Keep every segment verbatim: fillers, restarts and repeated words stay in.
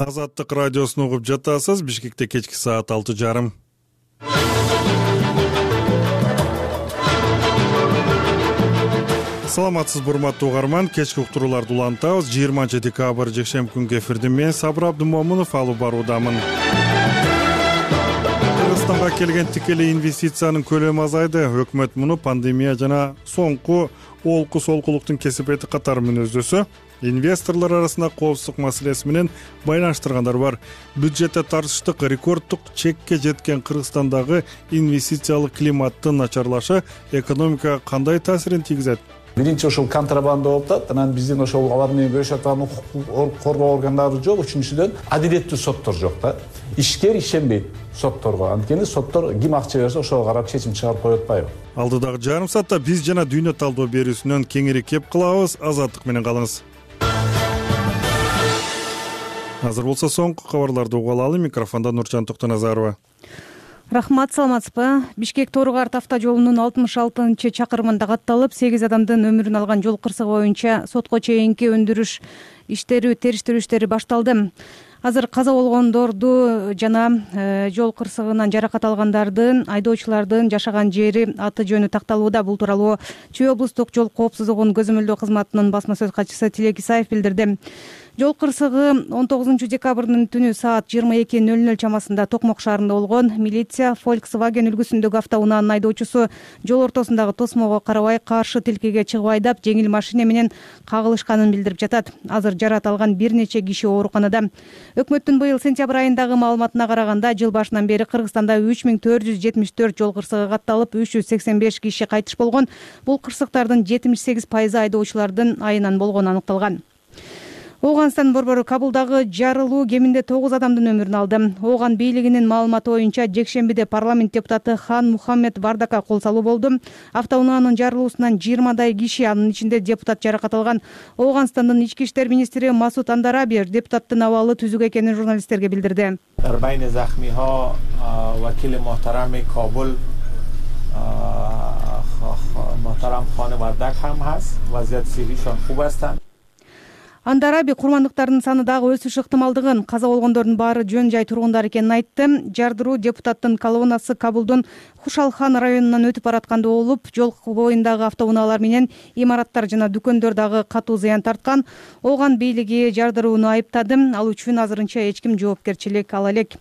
Азаттык радиосун угуп жатасыз. Бишкекте кечки саат алты жарым. Саламатсызбы урматтуу угарман, кечки уктурууларды улантабыз. жыйырманчы декабрь жекшемби күнгү эфирде мен Сабыр Абдымомунов алып баруудамын. Кыргызстанга келген тикелей инвестициянын көлөмү азайды. Өкмөт муну пандемия жана соңку олку солкулуктун кесепети катары мүнөздөсө, инвесторлор арасында коопсуздук маселеси менен байланыштыргандар бар. Бюджетте тартыштык рекорддук чекке жеткен Кыргызстандагы инвестициялык климаттын начарлашы экономикага кандай таасирин тийгизет? Биринчи ошол контрабанда болуп атат. Анан биздин ошол алар менен күрөшүп аткан укук коргоо органдары жок. Үчүнчүдөн адилеттүү соттор жок да. Ишкер ишенбейт сотторго. Анткени соттор ким акча берсе ошого карап чечим чыгарып коюп атпайбы? Алдыдагы жарым саатта биз жана дүйнө талдоо берүүсүнөн кеңири кеп кылабыз. Азаттык менен калыңыз. Азыр болсо соңку кабарларды угуп алалы. Микрофондо Нуржан Токтоназарова. Рахмат, саламатсызбы? Бишкек Тору-Карт автожолунун алтымыш алтынчы чакырымында катталып, сегиз адамдын өмүрүн алган жол кырсыгы боюнча сотко чейинки өндүрүш иштери, териштирүү иштери башталды. Азыр каза болгондорду жана жол кырсыгынан жаракат алгандардын, айдоочулардын жашаган жери, аты жөнү такталууда. Бул тууралуу Чүй облустук жол коопсуздугун көзөмөлдөө кызматынын басма сөз катчысы Тилек Исаев билдирди. Жол кырсыгы он тогузунчу декабрдын түнү саат жыйырма эки ноль ноль чамасында Токмок шаарында болгон. Милиция Volkswagen үлгүсүндөгү автоунаанын айдоочусу жол ортосундагы тосмого карабай каршы тилкеге чыгып айдап, жеңил машина менен кагылышканын билдирип жатат. Азыр жарат алган бир нече киши ооруканада. Өкмөттүн быйыл сентябрь айындагы маалыматына караганда, жыл башынан бери Кыргызстанда үч миң төрт жүз жетимиш төрт жол кырсыгы катталып, үч жүз сексен беш киши кайтыш болгон. Бул кырсыктардын жетимиш сегиз пайызы айдоочулардын айынан болгону аныкталган. Ооганстан борбору Кабулдагы жарылуу кеминде тогуз адамдын өмүрүн алды. Ооган бийлигинин маалыматы боюнча, жекшембиде парламент депутаты Хан Мухаммед Бардака кол салуу болду. Автоунаанын жарылуусунан жыйырмадай киши, анын ичинде депутат жаракат алган. Ооганстандын ички иштер министри Масуд Андараби депутаттын абалы түзүк экенин журналисттерге билдирди. Дар байни захмиҳо вакили муҳтарами Кобул муҳтарам Хони Бардак ҳам ҳаст. Вазъияти сиҳҳишон хуб астанд. Андараби курмандыктардын саны дагы өсүш ыктымалдыгын, каза болгондордун баары жөн жай тургундар экенин айтты. Жардыруу депутаттын колоннасы Кабулдун Хушалхан районунан өтүп баратканда болуп, жол боюндагы автоунаалар менен имараттар жана дүкөндөр дагы катуу зыян тарткан. Ооган бийлиги жардырууну айыптады. Ал үчүн азырынча эч ким жоопкерчилик ала элек.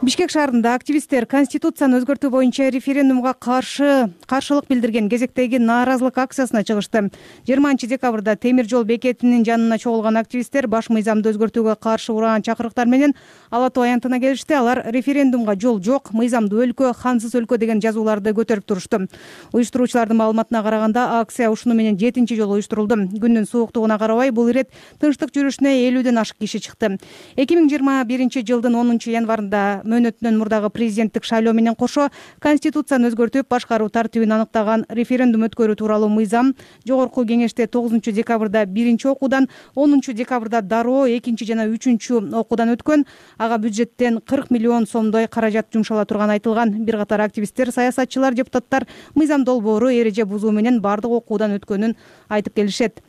Бишкек шаарында активисттер Конституцияны өзгөртүү боюнча референдумга каршы каршылык билдирген кезектеги нааразылык акциясына чыгышты. жыйырманчы декабрда темир жол бекетинин жанына чогулган активисттер баш мыйзамды өзгөртүүгө каршы ураган чакырыктар менен Ала Тоо аянтына келишти. Алар референдумга жол жок, мыйзамдуу өлкө, хансыз өлкө деген жазууларды көтөрүп турушту. Уюштуруучулардын маалыматына караганда, акция ушуну менен жетинчи жолу уюштурулду. Күндүн сууктугуна карабай, бул ирет тынчтык жүрүшүнө элүүдөн ашык киши чыкты. эки миң жыйырма биринчи жылдын онунчу январында мөөнөтүнөн мурдагы президенттик шайлоо менен кошо Конституцияны өзгөртүп, башкаруу тартибин аныктаган референдум өткөрүү тууралуу мыйзам жогорку кеңеште тогузунчу декабрда биринчи окуудан, онунчу декабрда дароо экинчи жана үчүнчү окуудан өткөн. Ага бюджеттен кырк миллион сомдой каражат жумшала турганы айтылган. Бир катар активисттер, саясатчылар, депутаттар мыйзам долбоору эреже бузуу менен бардык окуудан өткөнүн айтып келишет.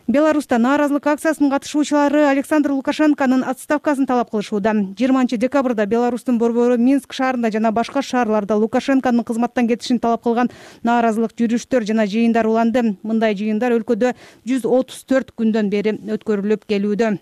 Беларуста нааразылык акциясынын катышуучулары Александр Лукашенконун отставкасын талап кылышууда. жыйырманчы декабрда Беларустун борбору Минск шаарында жана башка шаарларда Лукашенконун кызматтан кетишин талап кылган нааразылык жүрүштөр жана жыйындар уланды. Мындай жыйындар өлкөдө жүз отуз төрт күндөн бери өткөрүлүп келүүдө.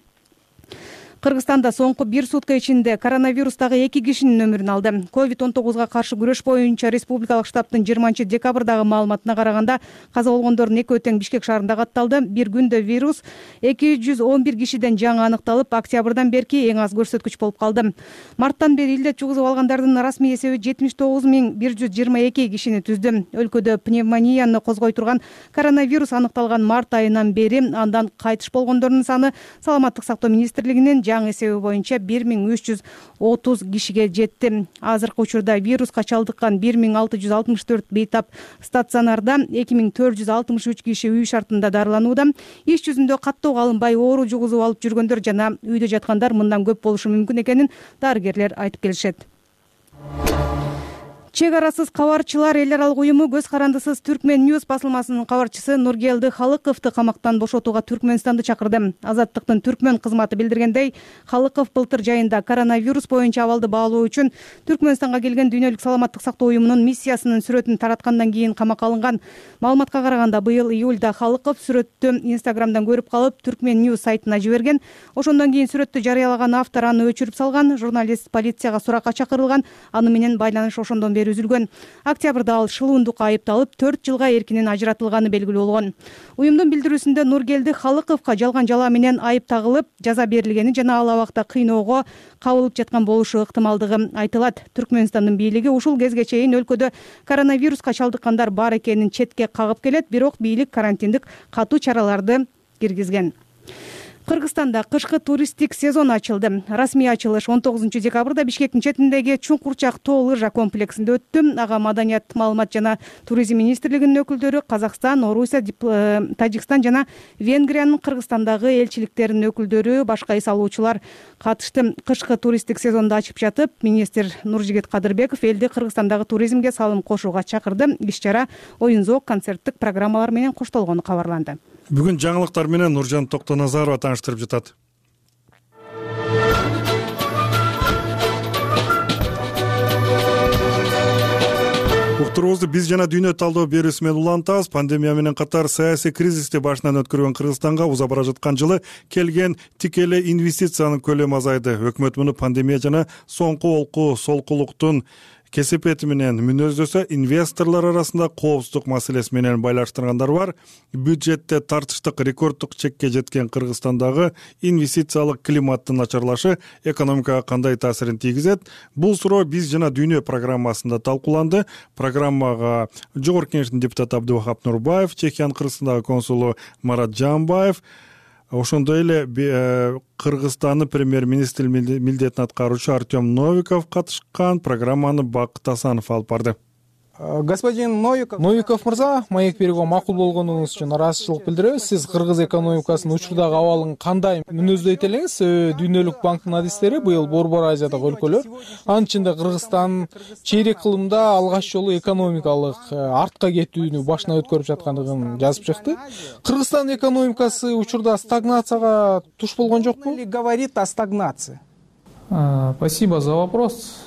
Кыргызстанда соңку бир сутка ичинде коронавирустагы эки кишинин өмүрүн алды. ковид он тогузга каршы күрөш боюнча республикалык штабтын жыйырманчы декабрдагы маалыматына караганда, каза болгондордун экөө тең Бишкек шаарында катталды. Бир күндө вирус эки жүз он бир кишиден жаңы аныкталып, октябрдан берки эң аз көрсөткүч болуп калды. Марттан бери илдет жугузуп алгандардын расмий эсеби жетимиш тогуз миң бир жүз жыйырма эки кишини түздү. Өлкөдө пневмонияны козгой турган коронавирус аныкталган март айынан бери, андан кайтыш болгондордун саны Саламаттык сактоо министрлигинин жаңы эсеби боюнча бир миң үч жүз отуз кишиге жетти. Азыркы учурда вируска чалдыккан бир миң алты жүз алтымыш төрт бейтап стационарда, эки миң төрт жүз алтымыш үч киши үй шартында дарыланууда. Иш жүзүндө каттоого алынбай оору жугузуп алып жүргөндөр жана үйдө жаткандар мындан көп болушу мүмкүн экенин дарыгерлер айтып келишет. Чек арасыз кабарчылар эл аралык уюму көз карандысыз Түркмен Ньюс басылмасынын кабарчысы Нургелди Халыковду камактан бошотууга Түркмөнстанды чакырды. Азаттыктын Түркмөн кызматы билдиргендей, Халыков былтыр жайында коронавирус боюнча абалды баалоо үчүн Түркмөнстанга келген Дүйнөлүк саламаттык сактоо уюмунун миссиясынын сүрөтүн тараткандан кийин камакка алынган. Маалыматка караганда, быйыл июлда Халыков сүрөттү Инстаграмдан көрүп калып, Түркмен Ньюс сайтына жиберген. Ошондон кийин сүрөттү жарыялаган автор аны өчүрүп салган. Журналист полицияга суракка чакырылган. Аны менен байланыш ошондон бери үзүлгөн. Октябрда ал шылуундукка айыпталып, төрт жылга эркинен ажыратылганы белгилүү болгон. Уюмдун билдирүүсүндө Нургелди Халыковго жалган жала менен айып тагылып, жаза берилгени жана ал абакта кыйноого кабылып жаткан болушу ыктымалдыгы айтылат. Түркмөнстандын бийлиги ушул кезге чейин өлкөдө коронавируска чалдыккандар бар экенин четке кагып келет, бирок бийлик карантиндик катуу чараларды киргизген. Кыргызстанда кышкы туристтик сезон ачылды. Расмий ачылыш он тогузунчу декабрда Бишкектин четиндеги Чуңкурчак тоо лыжа комплексинде өттү. Ага Маданият, маалымат жана туризм министрлигинин өкүлдөрү, Казакстан, Орусия, Тажикстан жана Венгриянын Кыргызстандагы элчиликтеринин өкүлдөрү, башка эс алуучулар катышты. Кышкы туристтик сезонду ачып жатып, министр Нуржигит Кадырбеков элди Кыргызстандагы туризмге салым кошууга чакырды. Иш-чара оюн-зоок, концерттик программалар менен коштолгону кабарланды. Бүгүн жаңылыктар менен Нуржан Токтоназарова тааныштырып жатат. Уктуруубузду биз жана дүйнө талдоо берүүсү менен улантабыз. Пандемия менен катар саясий кризисти башынан өткөргөн Кыргызстанга уза бара жаткан жылы келген тикелей инвестициянын көлөмү азайды. Өкмөт муну пандемия жана соңку олку солкулуктун кесипети менен мүнөздөсө, инвесторлор арасында коопсуздук маселеси менен байланыштыргандар бар. Бюджетте тартыштык рекорддук чекке жеткен Кыргызстандагы инвестициялык климаттын начарлашы экономикага кандай таасирин тийгизет? Бул суроо биз жана дүйнө программасында талкууланды. Программага Жогорку Кеңештин депутаты Абдувахап Нурбаев, Чехиянын Кыргызстандагы консулу Марат Жамбаев, ошондой эле Кыргызстандын премьер-министринин милдетин аткаруучу Артем Новиков катышкан. Программаны Бакыт Асанов алып барды. Господин Новиков, Новиков мырза, маек берүүгө макул болгонуңуз үчүн ыраазычылык билдиребиз. Сиз кыргыз экономикасынын учурдагы абалын кандай мүнөздөйт элеңиз? Дүйнөлүк банктын адистери быйыл Борбор Азиядагы өлкөлөр, анын ичинде Кыргызстан чейрек кылымда алгач жолу экономикалык артка кетүүнү башынан өткөрүп жаткандыгын жазып чыкты. Кыргызстан экономикасы учурда стагнацияга туш болгон жокпу? Говорит о стагнации. Спасибо за вопрос.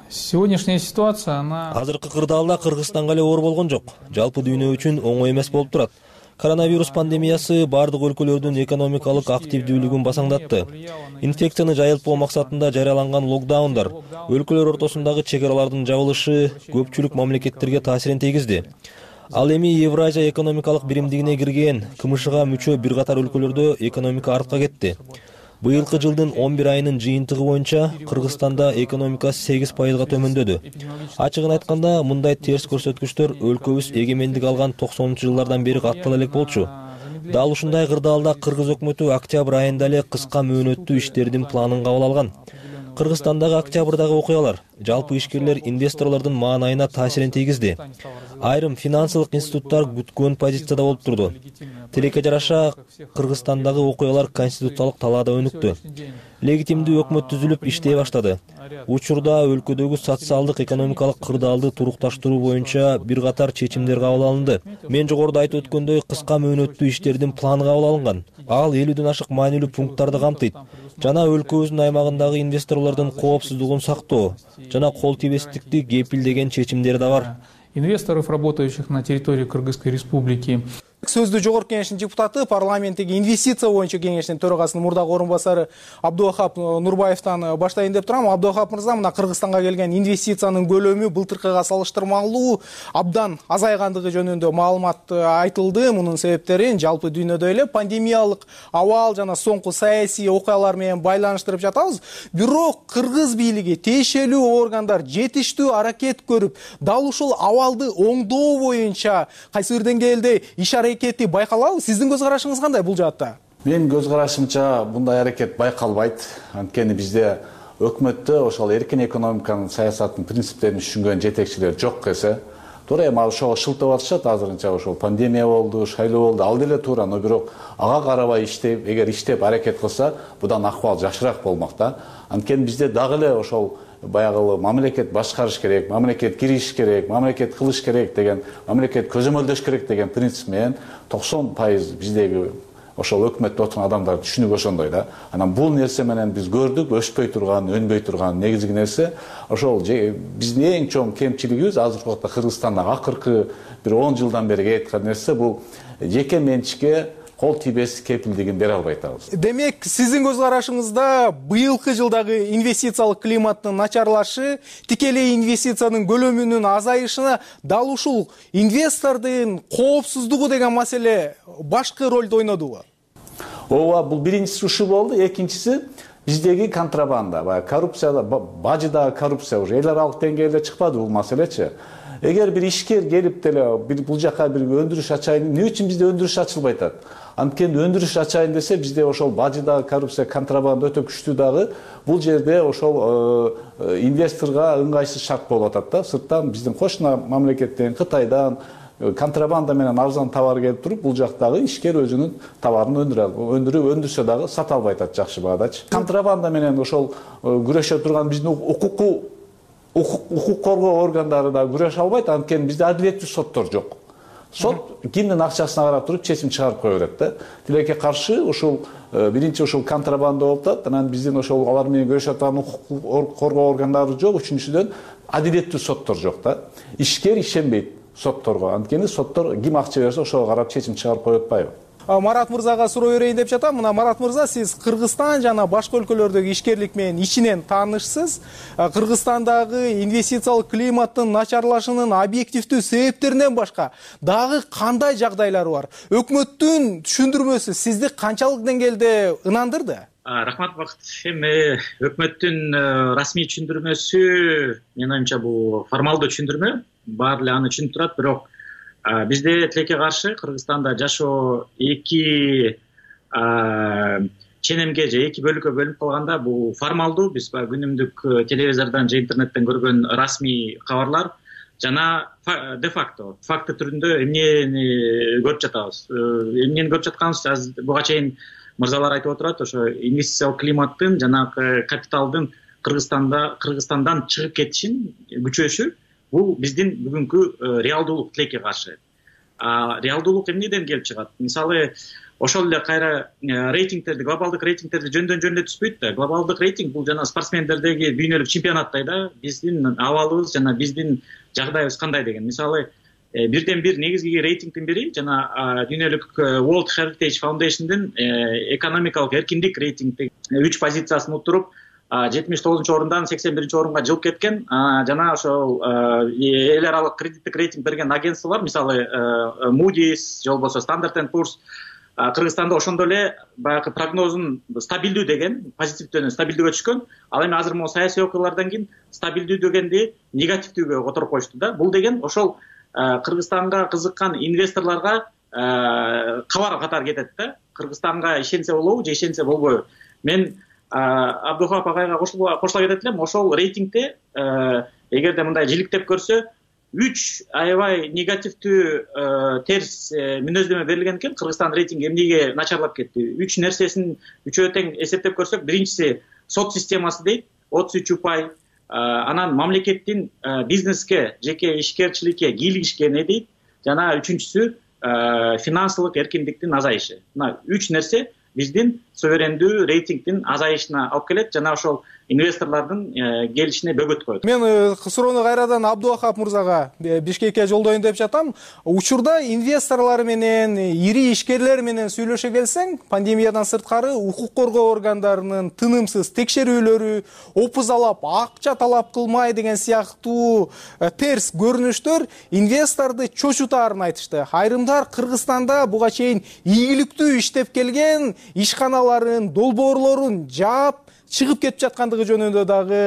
Сегодняшняя ситуация, она... Азыркы кырдаалда Кыргызстанга эле оор болгон жок. Жалпы дүйнө үчүн оңой эмес болуп турат. Коронавирус пандемиясы бардык өлкөлөрдүн экономикалык активдүүлүгүн басаңдатты. Инфекцияны жайылтпоо максатында жарыяланган локдаундар, өлкөлөр ортосундагы чек аралардын жабылышы көпчүлүк мамлекеттерге таасирин тийгизди. Ал эми Евразия экономикалык биримдигине кирген КМШга мүчө бир катар өлкөлөрдө экономика артка кетти. Быйылкы жылдын он бир айынын жыйынтыгы боюнча Кыргызстанда экономика сегиз пайызга төмөндөдү. Ачыгын айтканда, мындай терс көрсөткүчтөр өлкөбүз эгемендик алган токсонунчу жылдардан бери каттала элек болчу. Дал ушундай кырдаалда Кыргыз өкмөтү октябрь айында эле кыска мөөнөттүү иштердин планын кабыл алган. Кыргызстандагы октябрдагы окуялар жалпы ишкерлер, инвесторлордун маанайына таасирин тийгизди. Айрым финансылык институттар күткөн позицияда болуп турду. Тилекке жараша Кыргызстандагы окуялар конституциялык талаада өнүктү. Легитимдүү өкмөт түзүлүп иштей баштады. Учурда өлкөдөгү социалдык экономикалык кырдаалды турукташтыруу боюнча бир катар чечимдер кабыл алынды. Мен жогоруда айтып өткөндөй, кыска мөөнөттүү иштердин планы кабыл алынган. Ал элүүдөн ашык маанилүү пункттарды камтыйт. Жана өлкөбүздүн аймагындагы инвесторлордун коопсуздугун сактоо жана кол тийбестикти кепилдеген чечимдери да бар. Инвесторов, работающих на территории Кыргызской республики. Сөздү Жогорку Кеңештин депутаты, парламенттеги инвестиция боюнча кеңештин төрагасынын мурдагы орун басары Абдувахап Нурбаевтан баштайын деп турам. Абдувахап мырза, мына Кыргызстанга келген инвестициянын көлөмү былтыркыга салыштырмалуу абдан азайгандыгы жөнүндө маалымат айтылды. Мунун себептерин жалпы дүйнөдө эле пандемиялык абал жана соңку саясий окуялар менен байланыштырып жатабыз. Бирок кыргыз бийлиги, тиешелүү органдар жетиштүү аракет көрүп, дал ушул абалды оңдоо боюнча кайсы бир деңгээлде иш аракети байкалабы? Сиздин көз карашыңыз кандай бул жаатта? Менин көз карашымча мындай аракет байкалбайт. Анткени бизде өкмөттө ошол эркин экономиканын саясаттын принциптерин түшүнгөн жетекчилер жок эсе. Туура эми ошого шылтап атышат азырынча, ошол пандемия болду, шайлоо болду, ал деле туура, но бирок ага карабай иштеп, эгер иштеп аракет кылса, будан акыбал жакшыраак болмок да. Анткени бизде дагы эле ошол баягы мамлекет башкарыш керек, мамлекет кириш керек, мамлекет кылыш керек деген, мамлекет көзөмөлдөш керек деген принцип менен токсон пайыз биздеги ошол өкмөттө отурган адамдар түшүнүгү ошондой да. Анан бул нерсе менен биз көрдүк, өспөй турган, өнбөй турган негизги нерсе ошол биздин эң чоң кемчилигибиз азыркы убакта Кыргызстанда акыркы бир он жылдан бери кеткен нерсе бул жеке менчикке кол тийбес кепилдигин бере албай атабыз. Демек, сиздин көз карашыңызда быйылкы жылдагы инвестициялык климаттын начарлашы тикелей инвестициянын көлөмүнүн азайышына дал ушул инвестордун коопсуздугу деген маселе башкы ролду ойнодубу? Ооба, бул биринчиси ушу болду, экинчиси биздеги контрабанда, баягы коррупция, бажыдагы коррупция уже эл аралык деңгээлде чыкпады бул маселечи. Эгер бир ишкер келип деле бул жака бир өндүрүш ачайын, эмне үчүн бизде өндүрүш ачылбай атат? Анткени өндүрүш ачайын десе бизде ошол бажыдагы коррупция, контрабанда өтө күчтүү дагы, бул жерде ошол инвесторго ыңгайсыз шарт болуп атат да. Сырттан биздин кошуна мамлекеттен, Кытайдан контрабанда менен арзан товар келип туруп, бул жактагы ишкер өзүнүн товарын өндүрүп, өндүрсө дагы сата албай атат жакшы баадачы. Контрабанда менен ошол күрөшө турган биздин укуктуу укук коргоо органдары да күрөшө албайт, анткени бизде адилеттүү соттор жок. Сот кимдин акчасына карап туруп чечим чыгарып кое берет да. Тилекке каршы ушул биринчи ушул контрабанда болуп атат, анан биздин ошол алар менен күрөшө турган укук коргоо органдары жок, үчүнчүдөн адилеттүү соттор жок да. Ишкер ишенбейт сотторго, анткени соттор ким акча берсе ошого карап чечим чыгарып коюп атпайбы? Марат мырзага суроо берейин деп жатам. Мына Марат мырза, сиз Кыргызстан жана башка өлкөлөрдөгү ишкерлик менен ичинен таанышсыз. Кыргызстандагы инвестициялык климаттын начарлашынын объективдүү себептеринен башка дагы кандай жагдайлар бар? Өкмөттүн түшүндүрмөсү сизди канчалык деңгээлде ынандырды? Рахмат Бакыт. Эми өкмөттүн расмий түшүндүрмөсү, менин оюмча, бул формалдуу түшүндүрмө, баары эле аны түшүнүп турат, бирок бизде тилекке каршы Кыргызстанда жашоо эки ченемге же эки бөлүккө бөлүнүп калганда, бул формалдуу, биз күнүмдүк телевизордон же интернеттен көргөн расмий кабарлар жана де факто, факты түрүндө эмнени көрүп жатабыз. Эмнени көрүп жатканыбыз азыр буга чейин мырзалар айтып отурат, ошо инвестициялык климаттын жана капиталдын Кыргызстанда Кыргызстандан чыгып кетишин күчөшү. Бул биздин бүгүнкү реалдуулук тилекке каршы. Реалдуулук эмнеден келип чыгат? Мисалы, ошол эле кайра рейтингтерди, глобалдык рейтингтерди жөндөн-жөн эле түзбөйт да. Глобалдык рейтинг бул жана спортсмендердеги дүйнөлүк чемпионаттай да. Биздин абалыбыз жана биздин жагдайыбыз кандай деген. Мисалы, бирден бир негизги рейтингдин бири жана дүйнөлүк World Heritage Foundation'дин экономикалык эркиндик рейтингде үч позициясын утуруп, жетимиш тогузунчу орундан сексен биринчи орунга жылып кеткен, жана ошол эл аралык кредиттик рейтинг берген агентстволор, мисалы Moody's же болбосо Standard and Poor's, Кыргызстанда ошондой эле баягы прогнозун стабилдүү деген, позитивдөн стабилдүүгө түшкөн. Ал эми азыр могу саясий окуялардан кийин стабилдүү дегенди негативдүүгө которуп коюшту да. Бул деген ошол Кыргызстанга кызыккан инвесторлорго кабар катары кетет да. Кыргызстанга ишенсе болобу же ишенсе болбойбу? Мен Абдухап агайга кошула кетет элем. Ошол рейтингде эгерде мындай жиликтеп көрсө, үч аябай негативдүү терс мүнөздөмө берилген экен. Кыргызстан рейтинги эмнеге начарлап кетти? Үч нерсесин үчөө тең эсептеп көрсөк, биринчиси сот системасы дейт, отуз үч упай. Анан мамлекеттин бизнеске, жеке ишкерчиликке кийлигишкени дейт. Жана үчүнчүсү финансылык эркиндиктин азайышы. Мына үч нерсе биздин суверендүү рейтингдин азайышына алып келет жана ошол инвесторлордун келишине бөгөт коет. Мен суроону кайрадан Абдувахап мырзага Бишкекке жолдоюн деп жатам. Учурда инвесторлор менен, ири ишкерлер менен сүйлөшө келсең, пандемиядан сырткары укук коргоо органдарынын тынымсыз текшерүүлөрү, опузалап акча талап кылмай деген сыяктуу терс көрүнүштөр инвесторду чочутаарын айтышты. Айрымдар Кыргызстанда буга чейин ийгиликтүү иштеп келген ишканаларын, долбоорлорун жаап чыгып кетип жаткандыгы жөнүндө дагы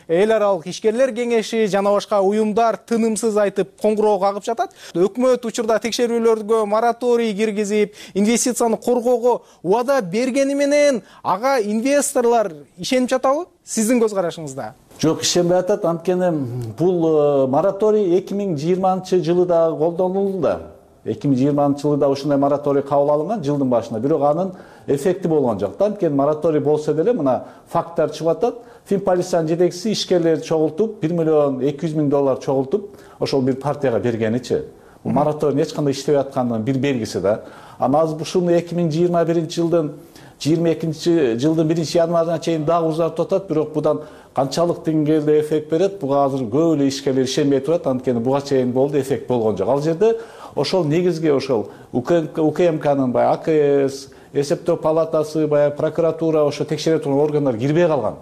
эл аралык ишкерлер кеңеши жана башка уюмдар тынымсыз айтып коңгуроо кагып жатат. Өкмөт учурда текшерүүлөргө мораторий киргизип, инвестицияны коргоого убада бергени менен ага инвесторлор ишенип жатабы? Сиздин көз карашыңызда? Жок, ишенбей атат. Анткени бул мораторий эки миң жыйырманчы жылы да колдонулду да. эки миң жыйырманчы жылы да ушундай мораторий кабыл алынган жылдын башында, бирок анын эффекти болгон жок. Анткени мораторий болсо деле мына факттар чыгып атат. Финполициянын жетекчиси ишкерлерди чогултуп, бир миллион эки жүз миң доллар чогултуп, ошол бир партияга бергеничи. Бул мораторий эч кандай иштебей аткандын бир белгиси да. Анан азыр ушуну эки миң жыйырма биринчи жылдын жыйырма экинчи жылдын биринчи январына чейин дагы узартып атат, бирок будан канчалык деңгээлде эффект берет, буга азыр көп эле ишкерлер ишенбей турат. Анткени буга чейин болду, эффект болгон жок. Ал жерде ошол негизги ошол УКМКнын баягы АКС, эсептөө палатасы, баягы прокуратура, ошо текшере турган органдар кирбей калган.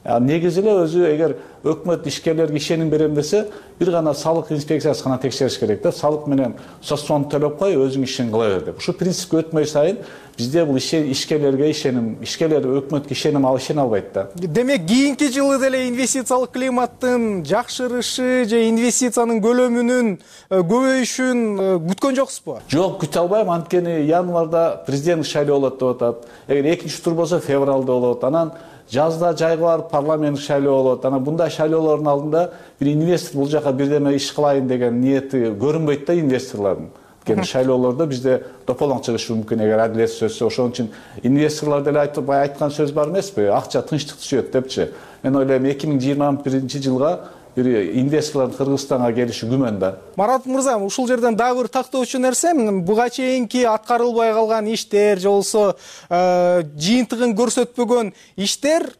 Негизи эле өзү эгер өкмөт ишкерлерге ишеним берем десе, бир гана салык инспекциясы гана текшериш керек да. Салык менен соцфонд төлөп кой, өзүң ишин кыла бер деп. Ушу принципке өтмөй сайын бизде бул ишкерлерге ишеним, ишкерлер өкмөткө ишеним алып ишене албайт да. Демек, кийинки жылы деле инвестициялык климаттын жакшырышы же инвестициянын көлөмүнүн көбөйүшүн күткөн жоксузбу? Жок, күтө албайм. Анткени январда президенттик шайлоо болот деп атат. Эгер экинчи тур болсо февралда болот. Анан жазда жайга барып парламенттик шайлоо болот. Анан бундай шайлоолордун алдында бир инвестор бул жака бирдеме иш кылайын деген ниети көрүнбөйт да инвесторлордун. Анткени шайлоолордо бизде тополоң чыгышы мүмкүн эгер адилет сөзсө. Ошон үчүн инвесторлор деле айтып бай айткан сөз бар эмеспи? Акча тынчтык түшөт депчи. Мен ойлойм эки миң жыйырма биринчи жылга бир инвесторлордун Кыргызстанга келиши күмөн да. Марат мырза, ушул жерден дагы бир тактоочу нерсе, буга чейинки аткарылбай калган иштер же болсо жыйынтыгын көрсөтпөгөн иштер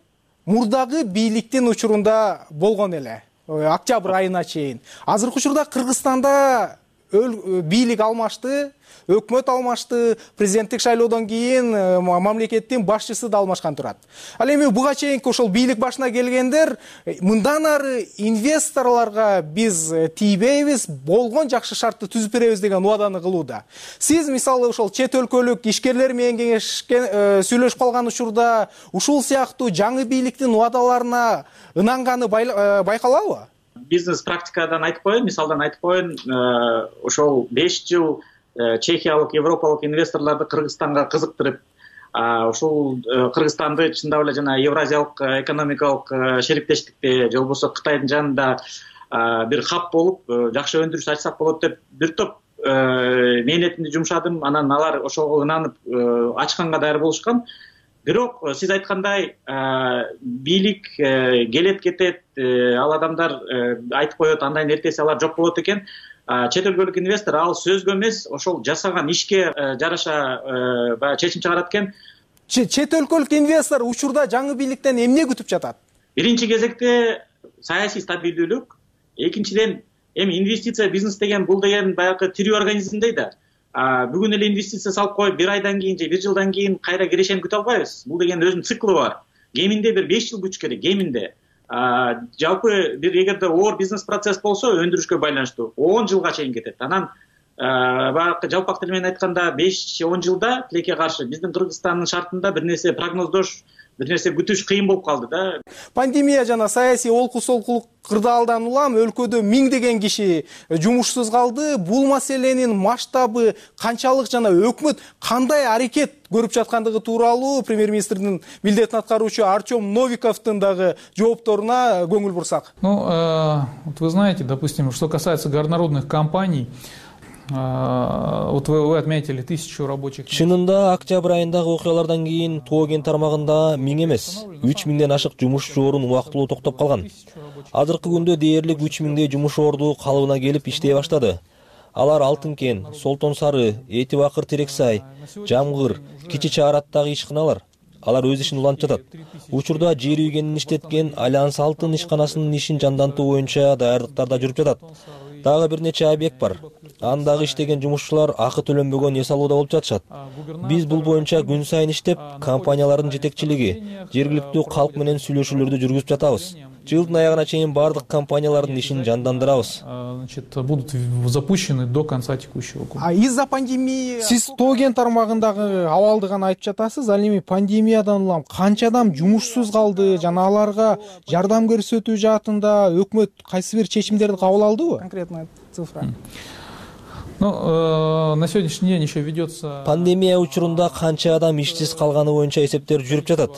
мурдагы бийликтин учурунда болгон эле. Октябрь айына чейин. Азыркы учурда Кыргызстанда бийлик алмашты, өкмөт алмашты, президенттик шайлоодон кийин мамлекеттин башчысы да алмашкан турат. Ал эми буга чейинки ошол бийлик башына келгендер мындан ары инвесторлорго биз тийбейбиз, болгон жакшы шартты түзүп беребиз деген убаданы кылууда. Сиз мисалы ошол чет өлкөлүк ишкерлер менен кеңешкен сүйлөшүп калган учурда ушул сыяктуу жаңы бийликтин убадаларына ынанганы байкалабы? Бизнес практикадан айтып коеюн, мисалдан айтып коеюн, ошол беш жыл чехиялык, европалык инвесторлорду Кыргызстанга кызыктырып, ушул Кыргызстанды чындап эле жана Евразиялык экономикалык шериктештикте же болбосо Кытайдын жанында бир хаб болуп, жакшы өндүрүш ачсак болот деп бир топ мээнетимди жумшадым. Анан алар ошого ынанып ачканга даяр болушкан. Бирок сиз айткандай бийлик келет кетет, ал адамдар айтып коет, андан эртеси алар жок болот экен. Чет өлкөлүк инвестор ал сөзгө эмес, ошол жасаган ишке жараша баягы чечим чыгарат экен. Чет өлкөлүк инвестор учурда жаңы бийликтен эмне күтүп жатат? Биринчи кезекте саясий стабилдүүлүк, экинчиден эми инвестиция бизнес деген бул деген баягы тирүү организмдей да. Бүгүн эле инвестиция салып коюп, бир айдан кийин же бир жылдан кийин кайра кирешени күтө албайбыз. Бул деген өзүнүн циклы бар. Кеминде бир беш жыл күтүш керек, кеминде. Жалпы бир эгерде оор бизнес процесс болсо, өндүрүшкө байланыштуу он жылга чейин кетет. Анан баягы жалпак тил менен айтканда беш он жылда тилекке каршы биздин Кыргызстандын шартында бир нерсе прогноздош, бир нерсе күтүш кыйын болуп калды да. Пандемия жана саясий олку-солкулук кырдаалдан улам өлкөдө миңдеген киши жумушсуз калды. Бул маселенин масштабы канчалык жана өкмөт кандай аракет көрүп жаткандыгы тууралуу премьер-министрдин милдетин аткаруучу Артем Новиковдун дагы жоопторуна көңүл бурсак. Ну, вот вы знаете, допустим, что касается горнорудных компаний, вот вы, вы отметили тысячу рабочих. Чынында октябрь айындагы окуялардан кийин Туоген тармагында миң эмес, үч миңден ашык жумушчу орун убактылуу токтоп калган. Азыркы күндө дээрлик үч миңдей жумуш орду калыбына келип иштей баштады. Алар Алтынкен, Солтон Сары, Эти Бакыр Терексай, Жамгыр, Кичи Чаар аттагы ишканалар. Алар өз ишин улантып жатат. Учурда жер үйгенин иштеткен Альянс Алтын ишканасынын ишин жандантуу боюнча даярдыктар да жүрүп жатат. Дагы бир нече объект бар. Андагы иштеген жумушчулар акы төлөнбөгөн эс алууда болуп жатышат. Биз бул боюнча күн сайын иштеп, компаниялардын жетекчилиги, жергиликтүү калк менен сүйлөшүүлөрдү жүргүзүп жатабыз. Жылдын аягына чейин бардык компаниялардын ишин жандандырабыз. Значит, будут запущены до конца текущего года. А из-за пандемии Сиз Туоген тармагындагы абалды гана айтып жатасыз. Ал эми пандемиядан улам канча адам жумушсуз калды жана аларга жардам көрсөтүү жаатында өкмөт кайсы бир чечимдерди кабыл алдыбы? Конкретная цифра. Ну, э, на сегодняшний день еще ведется. Пандемия учурунда канча адам иштиз калганы боюнча эсептер жүрүп жатат.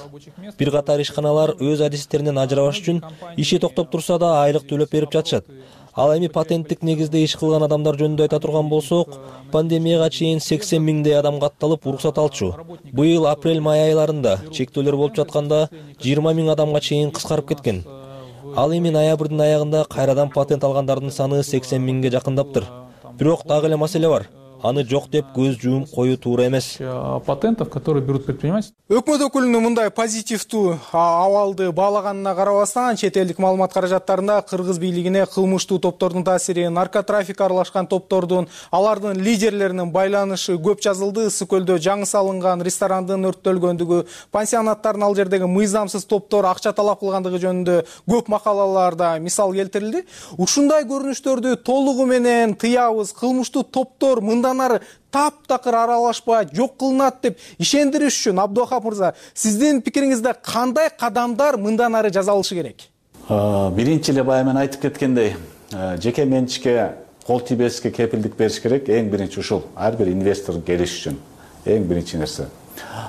Бир катар ишканалар өз адистеринен ажырабаш үчүн иши токтоп турса да айлык төлөп берип жатышат. Ал эми патенттик негизде иш кылган адамдар жөнүндө айта турган болсок, пандемияга чейин сексен миңдей адам катталып уруксат алчу. Быйыл апрель-май айларында чектөөлөр болуп жатканда жыйырма миң адамга чейин кыскарып кеткен. Ал эми ноябрдын аягында кайрадан патент алгандардын саны сексен миңге жакындаптыр. Бирок дагы эле маселе бар. Аны жок деп көз жуум коюу туура эмес. Патентов, которые берут предпринимательство. Өкмөт өкүлүнүн мындай позитивдүү абалды баалаганына карабастан, чет элдик маалымат каражаттарында кыргыз бийлигине кылмыштуу топтордун таасири, наркотрафик аралашкан топтордун, алардын лидерлеринин байланышы көп жазылды. Ысык көлдө жаңы салынган ресторандын өрттөлгөндүгү, пансионаттардын ал жердеги мыйзамсыз топтор акча талап кылгандыгы жөнүндө көп макалаларда мисал келтирилди. Ушундай көрүнүштөрдү толугу менен тыябыз, кылмыштуу топтор мындан ары таптакыр аралашпай жок кылынат деп ишендириш үчүн Абдыохап мырза, сиздин пикириңизде кандай кадамдар мындан ары жасалышы керек? Биринчи эле баягы мен айтып кеткендей, жеке менчикке кол тийбеске кепилдик бериш керек. Эң биринчи ушул, ар бир инвестор келиш үчүн эң биринчи нерсе.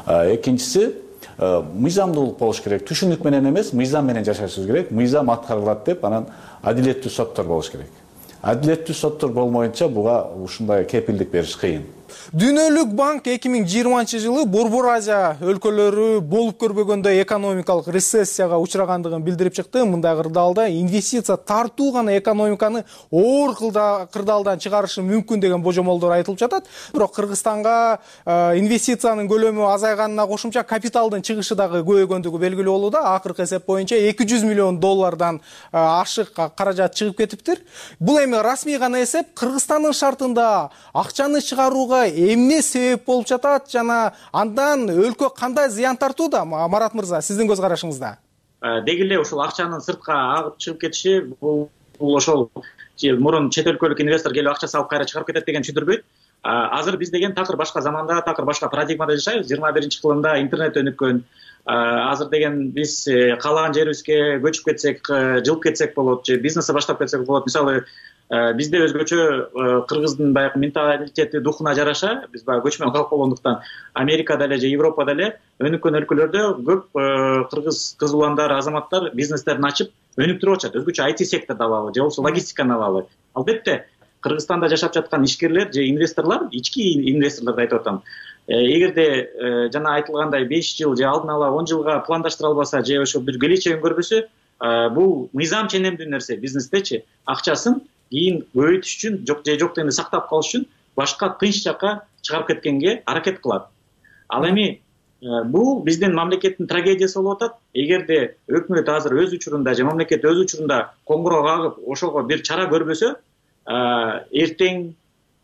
Экинчиси, мыйзамдуулук болуш керек. Түшүнүк менен эмес, мыйзам менен жашашыбыз керек. Мыйзам аткарылат деп, анан адилеттүү соттор болуш керек. Адилеттүү соттор болмоюнча буга ушундай кепилдик бериш кыйын. Дүйнөлүк банк эки миң жыйырманчы жылы Борбор Азия өлкөлөрү болуп көрбөгөндөй экономикалык рецессияга учурагандыгын билдирип чыкты. Мындай кырдаалда инвестиция тартуу гана экономиканы оор кырдаалдан чыгарышы мүмкүн деген божомолдор айтылып жатат. Бирок Кыргызстанга инвестициянын көлөмү азайганына кошумча капиталдын чыгышы дагы көбөйгөндүгү белгилүү болууда. Акыркы эсеп боюнча эки жүз миллион доллардан ашык каражат чыгып кетиптир. Бул эми расмий гана эсеп. Кыргызстандын шартында акчаны чыгарууга эмне себеп болуп жатат жана андан өлкө кандай зыян тартууда? Марат мырза, сиздин көз карашыңызда. Деги эле ушул акчанын сыртка агып чыгып кетиши бул ошол мурун чет өлкөлүк инвестор келип акча салып кайра чыгарып кетет деген түшүндүрбөйт. Азыр биз деген такыр башка заманда, такыр башка парадигмада жашайбыз. жыйырма биринчи кылымда интернет өнүккөн. Азыр деген биз каалаган жерибизге көчүп кетсек, жылып кетсек болот, же бизнести баштап кетсек болот. Мисалы, бизде өзгөчө кыргыздын баягы менталитети, духуна жараша, биз баягы көчмөн калк болгондуктан Америкада эле же Европада эле өнүккөн өлкөлөрдө көп кыргыз кыз уландар, азаматтар бизнестерин ачып өнүктүрүп атышат. Өзгөчө ай ти секторду алалы, же болбосо логистиканы алалы. Албетте, Кыргызстанда жашап жаткан ишкерлер же инвесторлор, ички инвесторлорду айтып атам. Эгерде жана айтылгандай беш жыл же алдын ала он жылга пландаштыра албаса, же ошо бир келечегин көрбөсө, бул мыйзам ченемдүү нерсе. Бизнестечи акчасын кийин көбөйтүш үчүн, жок же жок дегенде сактап калыш үчүн башка тынч жакка чыгарып кеткенге аракет кылат. Ал эми бул биздин мамлекеттин трагедиясы болуп атат. Эгерде өкмөт азыр өз учурунда же мамлекет өз учурунда коңгуроо кагып ошого бир чара көрбөсө, эртең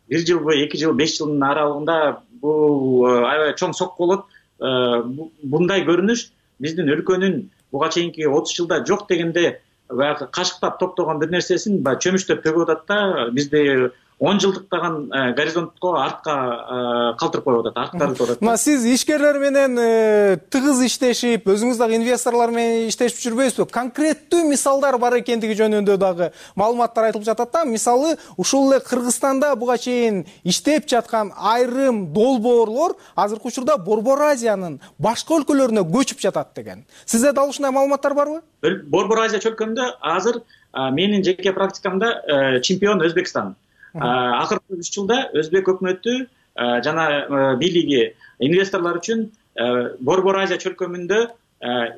бир жылбы, эки жыл, беш жылдын аралыгында бул аябай чоң сокку болот. Мындай көрүнүш биздин өлкөнүн буга чейинки отуз жылда жок дегенде баягы кашыктап топтогон бир нерсесин баягы чөмүчтөп төгүп атат да, бизди он жылдыктаган горизонтко артка калтырып коюп атат, арттырып атат. Мына сиз ишкерлер менен тыгыз иштешип, өзүңүз дагы инвесторлор менен иштешип жүрбөйсүзбү? Конкреттүү мисалдар бар экендиги жөнүндө дагы маалыматтар айтылып жатат да. Мисалы, ушул эле Кыргызстанда буга чейин иштеп жаткан айрым долбоорлор азыркы учурда Борбор Азиянын башка өлкөлөрүнө көчүп жатат деген. Сизде дал ушундай маалыматтар барбы? Борбор Азия чөлкөмдө азыр менин жеке практикамда чемпион Өзбекстан. Акыркы үч жылда Өзбек өкмөтү жана бийлиги инвесторлор үчүн Борбор Азия чөлкөмүндө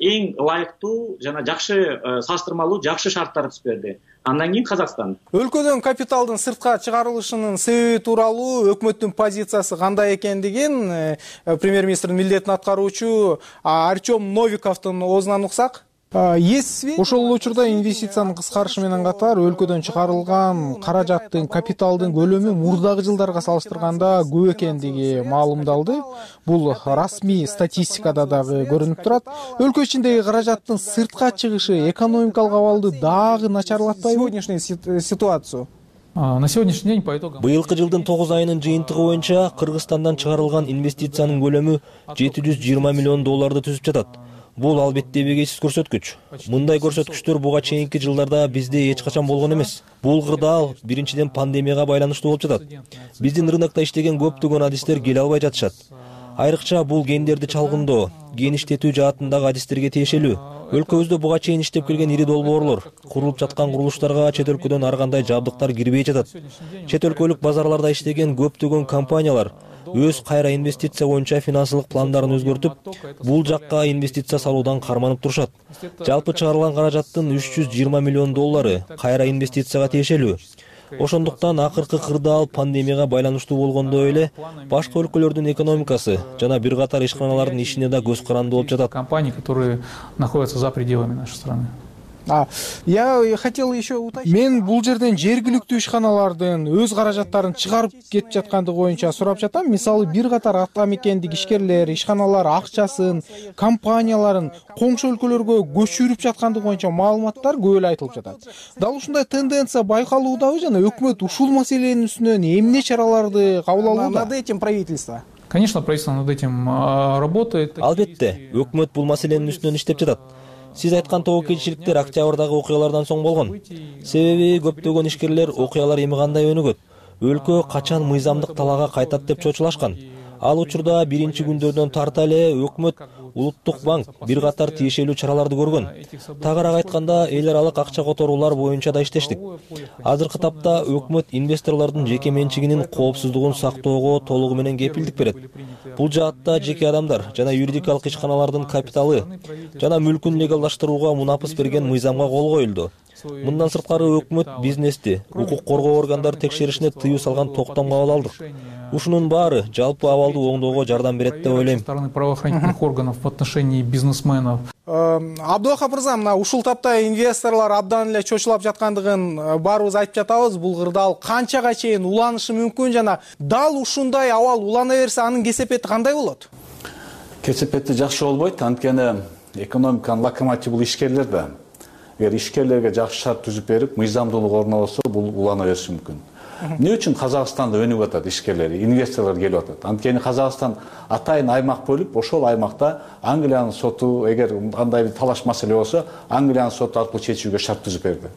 эң ылайыктуу жана жакшы салыштырмалуу жакшы шарттар түзүп берди. Андан кийин Казакстан. Өлкөдөн капиталдын сыртка чыгарылышынын себеби тууралуу өкмөттүн позициясы кандай экендигин премьер-министрдин милдетин аткаруучу Артем Новиковдун оозунан уксак. Ошол учурда инвестициянын кыскарышы менен катар өлкөдөн чыгарылган каражаттын, капиталдын көлөмү мурдагы жылдарга салыштырганда көп экендиги маалымдалды. Бул расмий статистикада дагы көрүнүп турат. Өлкө ичиндеги каражаттын сыртка чыгышы экономикалык абалды дагы начарлатпайбы? Сегодняшнюю ситуацию. На сегодняшний день по итогам быйылкы жылдын тогуз айынын жыйынтыгы боюнча Кыргызстандан чыгарылган инвестициянын көлөмү жети жүз жыйырма миллион долларды түзүп жатат. Бул албетте бегейсиз көрсөткүч. Мындай көрсөткүчтөр буга чейинки жылдарда бизде эч качан болгон эмес. Бул кырдаал биринчиден пандемияга байланыштуу болуп жатат. Биздин рынокто иштеген көптөгөн адистер келе албай жатышат. Айрыкча бул гендерди чалгындоо, ген иштетүү жаатындагы адистерге тиешелүү. Өлкөбүздө буга чейин иштеп келген ири долбоорлор, курулуп жаткан курулуштарга чет өлкөдөн ар кандай жабдыктар кирбей жатат. Чет өлкөлүк базарларда иштеген көптөгөн компаниялар өз кайра инвестиция боюнча финансылык пландарын өзгөртүп, бул жакка инвестиция салуудан карманып турушат. Жалпы чыгарылган каражаттын үч жүз жыйырма миллион доллары кайра инвестицияга тиешелүү. Ошондуктан акыркы кырдаал пандемияга байланыштуу болгондой эле башка өлкөлөрдүн экономикасы жана бир катар ишканалардын ишине да көз каранды болуп жатат. Компании, которые находятся за пределами нашей страны. А, я хотел еще уточнить. Мен бул жерден жергиликтүү ишканалардын өз каражаттарын чыгарып кетип жаткандыгы боюнча сурап жатам. Мисалы бир катар атамекендик ишкерлер, ишканалар акчасын, компанияларын коңшу өлкөлөргө көчүрүп жаткандыгы боюнча маалыматтар көп эле айтылып жатат. Дал ушундай тенденция байкалуудабы жана өкмөт ушул маселенин үстүнөн эмне чараларды кабыл алууда? Над этим правительство. Конечно, правительство над этим работает. Албетте, өкмөт бул маселенин үстүнөн иштеп жатат. Сиз айткан тобокелчиликтер октябрдагы окуялардан соң болгон. Себеби көптөгөн ишкерлер окуялар эми кандай өнүгөт, өлкө качан мыйзамдык талаага кайтат деп чочулашкан. Ал учурда биринчи күндөрдөн тарта эле өкмөт Улуттук банк бир катар тиешелүү чараларды көргөн. Тагыраак айтканда, эл аралык акча которуулар боюнча да иштештик. Азыркы тапта өкмөт инвесторлордун жеке менчигинин коопсуздугун сактоого толугу менен кепилдик берет. Бул жаатта жеке адамдар жана юридикалык ишканалардын капиталы жана мүлкүн легалдаштырууга мунапыс берген мыйзамга кол коюлду. Мындан сырткары өкмөт бизнести, укук коргоо органдары текшеришине тыюу салган токтом кабыл алдык. Ушунун баары жалпы абалды оңдоого жардам берет деп ойлойм. Стороны правоохранительных органов в отношении бизнесменов. Абдулахап мырза, мына ушул тапта инвесторлор абдан эле чочулап жаткандыгын баарыбыз айтып жатабыз. Бул кырдаал канчага чейин уланышы мүмкүн жана дал ушундай абал улана берсе анын кесепети кандай болот? Кесепети жакшы болбойт, анткени экономиканын локомотивы бул ишкерлер да. Эгер ишкерлерге жакшы шарт түзүп берип, мыйзамдуулук орнобосо, бул улана бериши мүмкүн. Эмне үчүн Казакстанда өнүгүп атат ишкерлер, инвесторлор келип атат? Анткени Казакстан атайын аймак бөлүп, ошол аймакта Англиянын соту, эгер кандай бир талаш маселе болсо, Англиянын соту аркылуу чечүүгө шарт түзүп берди.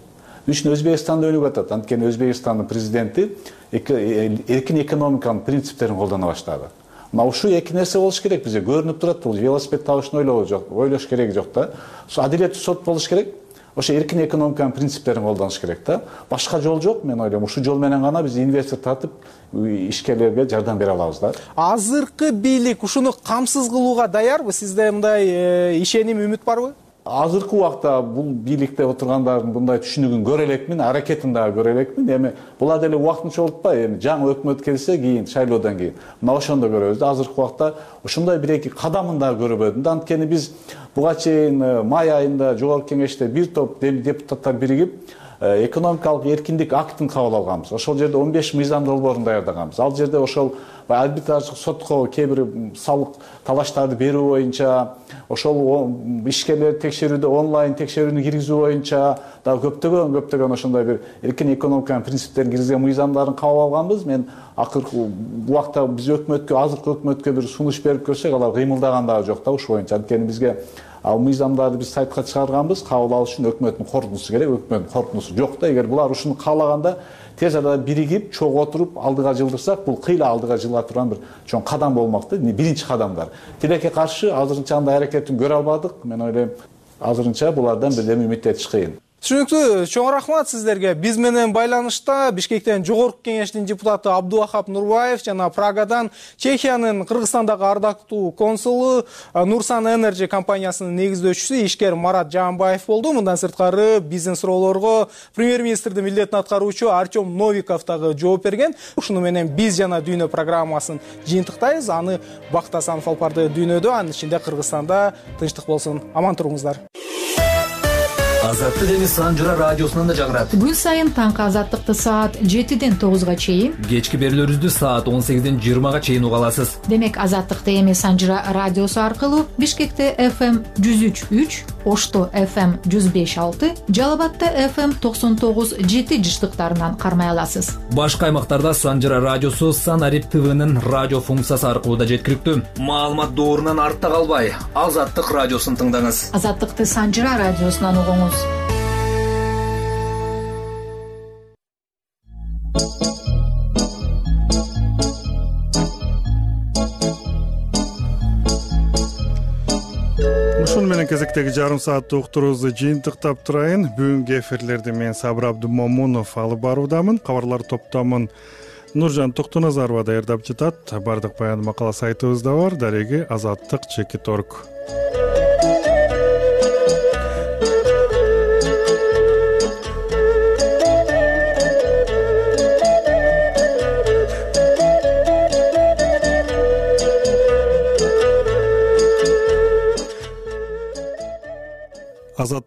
Үчүн Өзбекстанда өнүгүп атат. Анткени Өзбекстандын президенти эркин экономиканын принциптерин колдоно баштады. Мына ушул эки нерсе болуш керек бизге. Көрүнүп турат, бул велосипед табышын ойлоо жок, ойлош керек жок да. Адилеттүү сот болуш керек. Ошо эркин экономиканын принциптерин колдонуш керек да. Башка жол жок, мен ойлойм. Ушул жол менен гана биз инвестор тартып, ишкерлерге жардам бере алабыз да. Азыркы бийлик ушуну камсыз кылууга даярбы? Сизде мындай ишеним, үмүт барбы? Азыркы убакта бул бийликте отургандардын мындай түшүнүгүн көрө элекмин, аракетин дагы көрө элекмин. Эми булар деле убактынча болуп атпайбы? Эми жаңы өкмөт келсе кийин шайлоодон кийин. Мына ошондо көрөбүз да. Азыркы убакта ушундай бир-эки кадамын дагы көрбөдүм да. Анткени биз буга чейин май айында жогорку кеңеште бир топ депутаттар биригип экономикалык эркиндик актын кабыл алганбыз. Ошол жерде он беш мыйзам долбоорун даярдаганбыз. Ал жерде ошол арбитраждык сотко кээ бир салык талаштарды берүү боюнча, ошол ишкерлер текшерүүдө онлайн текшерүүнү киргизүү боюнча дагы көптөгөн көптөгөн ошондой бир эркин экономиканын принциптерин киргизген мыйзамдарын кабыл алганбыз. Мен акыркы убакта биз өкмөткө, азыркы өкмөткө бир сунуш берип көрсөк, алар кыймылдаган дагы жок да ушул боюнча. Анткени бизге ал мыйзамдарды биз сайтка чыгарганбыз, кабыл алыш үчүн өкмөттүн корутуусу керек. Өкмөттүн корутуусу жок да. Эгер булар ушуну каалаганда тез арада биригип, чогуу отуруп алдыга жылдырсак, бул кыйла алдыга жылга турган бир чоң кадам болмок да. Биринчи кадамдар. Тилекке каршы азырынча андай аракетин көрө албадык. Мен ойлойм, азырынча булардан бирдеме үмүттөнүш кыйын. Түшүнүктүү, чоң рахмат сиздерге. Биз менен байланышта Бишкектен жогорку кеңештин депутаты Абдулахап Нурбаев жана Прагадан Чехиянын Кыргызстандагы ардактуу консулу Нурсан Energy компаниясынын негиздөөчүсү ишкер Марат Жаанбаев болду. Мындан сырткары биздин суроолорго премьер-министрдин милдетин аткаруучу Артем Новиков дагы жооп берген. Ушуну менен биз жана дүйнө программасын жыйынтыктайбыз. Аны Бакыт Асанов алып барды дүйнөдө, анын ичинде Кыргызстанда. Тынчтык болсун. Аман туруңуздар. Азаттык эми Санжыра радиосунан да жагырат. Күн сайын таңкы азаттыкты саат жетиден тогузга чейин, кечки берүүлөрүбүздү саат он сегизден жыйырмага чейин уга аласыз. Демек азаттыкты эми Санжыра радиосу аркылуу Бишкекте эф эм жүз үч үч, Ошто эф эм жүз беш алты, Жалал Абадта эф эм токсон тогуз жети жыштыктарынан кармай аласыз. Башка аймактарда Санжыра радиосу Санарип ТВнын радио функциясы аркылуу да жеткиликтүү. Маалымат доорунан артта калбай, Азаттык радиосун тыңдаңыз. Азаттыкты Санжыра радиосунан угуңуз. Ушун менен кезекте эфирдеги жарым сааттык уктуруубузду жыйынтыктап турайын. Бүгүнкү эфирлерди мен Сабыр Абдымомунов алып баруудамын. Кабарлар топтомун Нуржан Токтоназарова даярдап жатат. Бардык баян макала сайтыбызда бар. Дареги азаттык чекит точка орг.